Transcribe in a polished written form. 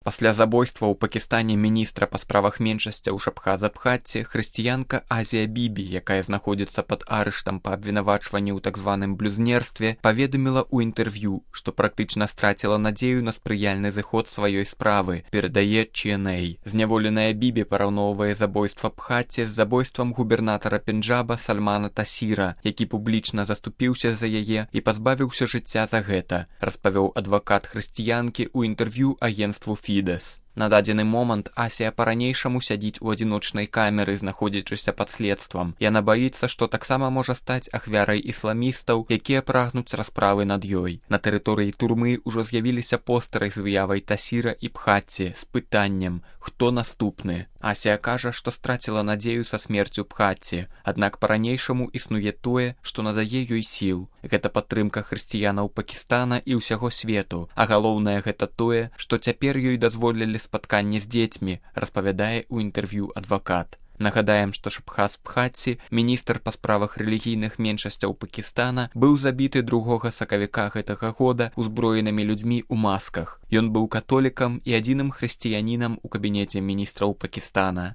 Пасля забойства ў Пакістане міністра па справах меншасцяў Шабхаза Бхатти, хрысціянка Азія Бібі, якая знаходзіцца пад арыштам па абвінавачванні ў так званым блюзнерстве, паведаміла ў інтэрв'ю, што практычна страціла надзею на спрыяльны зыход сваёй справы, перадае CNA. Зняволеная Бібі параўноўвае забойства Бхатти з забойствам губернатара Пенджаба Сальмана Тасіра, які публічна заступіўся за яе і пазбавіўся жыцця за гэта, распавёў адвакат хрысціянкі ў інтэрв'ю агенцтву Фідэс. На дадзены момант Асія па-ранейшаму сядзіць у адзіночнай камеры, знаходзячыся пад следствам. Яна баіцца, што таксама можа стаць ахвярай ісламістаў, якія прагнуць расправы над ёй. На тэрыторыі турмы ўжо з'явіліся постэры з выявай Тасіра і Бхатти з пытаннем «Хто наступны?». Асія кажа, што страціла надзею са смерцю Бхатти, аднак па-ранейшаму існуе тое, што надае ёй сіл. Гэта падтрымка хрысціянаў Пакістана і ўсяго свету, а галоўнае гэта тое, што цяпер ёй дазволілі спатканне з дзецьмі, распавядае ў інтэрв'ю адвакат. Нагадаем, што Шабхаз Бхатти, міністр па справах рэлігійных меншасцяў Пакістана, быў забіты 2 сакавіка гэтага года узброенымі людзьмі ў масках. Ён быў католікам і адзіным хрысціянінам у кабінеце міністраў Пакістана.